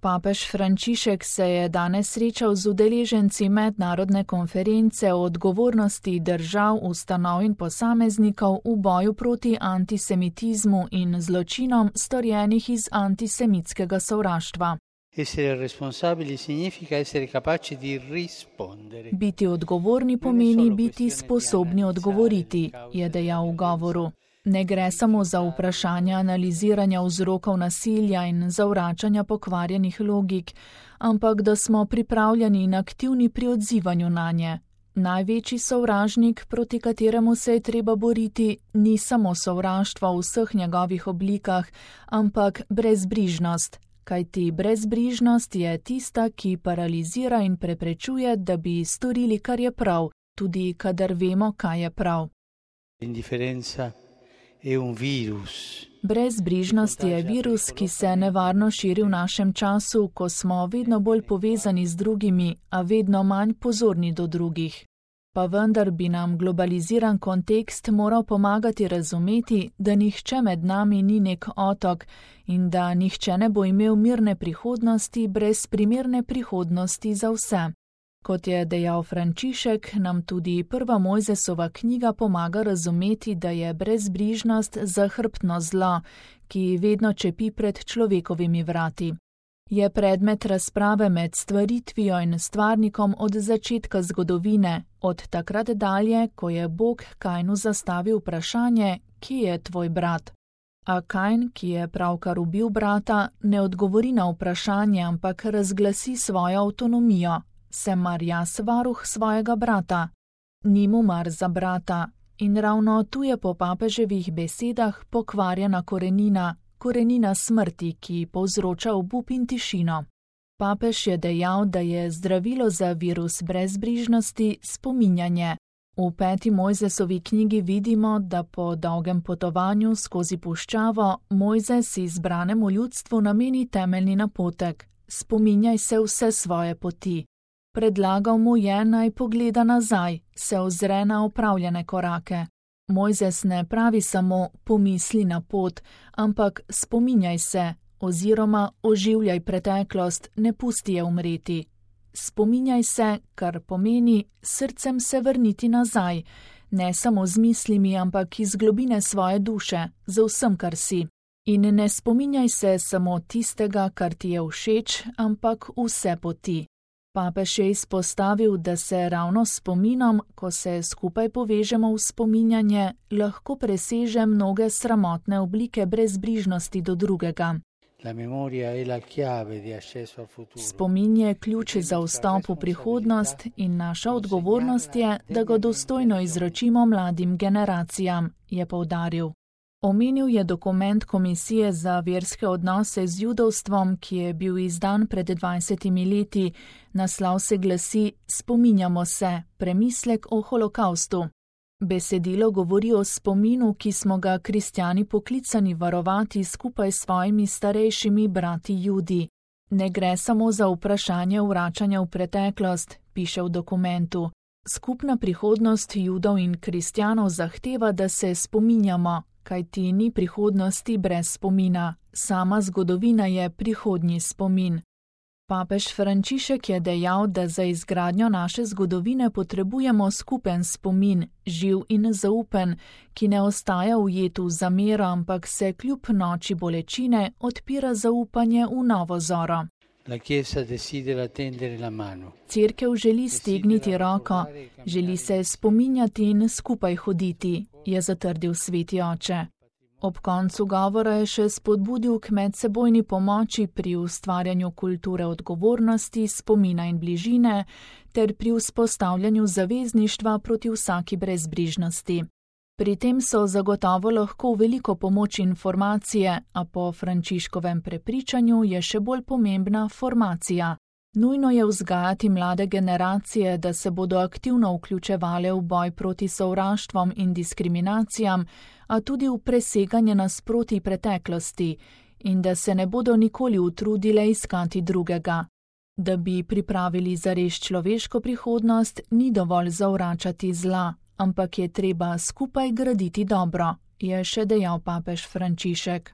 Papež Frančišek se je danes srečal z udeleženci mednarodne konference o odgovornosti držav, ustanov in posameznikov v boju proti antisemitizmu in zločinom, storjenih iz antisemitskega sovraštva. Biti odgovorni pomeni biti sposobni odgovoriti, je dejal v govoru. Ne gre samo za vprašanje analiziranja vzrokov nasilja in zavračanja pokvarjenih logik, ampak da smo pripravljeni in aktivni pri odzivanju nanje. Največji sovražnik, proti kateremu se je treba boriti, ni samo sovraštvo v vseh njegovih oblikah, ampak brezbrižnost. Kajti brezbrižnost je tista, ki paralizira in preprečuje, da bi storili, kar je prav, tudi kadar vemo, kaj je prav. Brezbrižnost je virus, ki se nevarno širi v našem času, ko smo vedno bolj povezani z drugimi, a vedno manj pozorni do drugih. Pa vendar bi nam globaliziran kontekst moral pomagati razumeti, da nihče med nami ni nek otok in da nihče ne bo imel mirne prihodnosti brez primerne prihodnosti za vse. Kot je dejal Frančišek, nam tudi prva Mojzesova knjiga pomaga razumeti, da je brezbrižnost zahrbtno zlo, ki vedno čepi pred človekovimi vrati. Je predmet razprave med stvaritvijo in stvarnikom od začetka zgodovine, od takrat dalje, ko je Bog Kainu zastavil vprašanje, kje je tvoj brat. A Kain, ki je pravkar ubil brata, ne odgovori na vprašanje, ampak razglasi svojo avtonomijo. Sem mar jaz varuh svojega brata? Ni mu mar za brata. In ravno tu je po papeževih besedah pokvarjena korenina smrti, ki povzroča obup in tišino. Papež je dejal, da je zdravilo za virus brezbrižnosti spominjanje. V 5. Mojzesovi knjigi vidimo, da po dolgem potovanju skozi puščavo Mojzes izbranemu ljudstvu nameni temeljni napotek: spominjaj se vse svoje poti. Predlagal mu je, naj pogleda nazaj, se ozre na opravljene korake. Mojzes ne pravi samo pomisli na pot, ampak spominjaj se oziroma oživljaj preteklost, ne pusti je umreti. Spominjaj se, kar pomeni srcem se vrniti nazaj, ne samo z mislimi, ampak iz globine svoje duše, za vsem, kar si. In ne spominjaj se samo tistega, kar ti je všeč, ampak vse poti. Papež je izpostavil, da se ravno s spominom, ko se skupaj povežemo v spominjanje, lahko preseže mnoge sramotne oblike brezbrižnosti do drugega. Spomin je ključ za vstop v prihodnost in naša odgovornost je, da ga dostojno izročimo mladim generacijam, je poudaril. Omenil je dokument Komisije za verske odnose z judovstvom, ki je bil izdan pred 20 leti. Naslov se glasi: Spominjamo se, premislek o holokaustu. Besedilo govori o spominu, ki smo ga kristjani poklicani varovati skupaj s svojimi starejšimi brati Judi. Ne gre samo za vprašanje vračanja v preteklost, piše v dokumentu. Skupna prihodnost Judov in kristjanov zahteva, da se spominjamo, kajti ni prihodnosti brez spomina. Sama zgodovina je prihodnji spomin. Papež Frančišek je dejal, da za izgradnjo naše zgodovine potrebujemo skupen spomin, živ in zaupen, ki ne ostaja ujet v zamero, ampak se kljub noči bolečine odpira zaupanje v novo zoro. Cerkev želi stegniti roko, želi se spominjati in skupaj hoditi, je zatrdil sveti oče. Ob koncu govora je še spodbudil k medsebojni pomoči pri ustvarjanju kulture odgovornosti, spomina in bližine ter pri vzpostavljanju zavezništva proti vsaki brezbrižnosti. Pri tem so zagotovo lahko veliko pomoč informacije, a po Frančiškovem prepričanju je še bolj pomembna formacija. Nujno je vzgajati mlade generacije, da se bodo aktivno vključevale v boj proti sovraštvom in diskriminacijam, a tudi v preseganje nasprotij preteklosti, in da se ne bodo nikoli utrudile iskati drugega. Da bi pripravili zares človeško prihodnost, ni dovolj zavračati zla, ampak je treba skupaj graditi dobro, je še dejal papež Frančišek.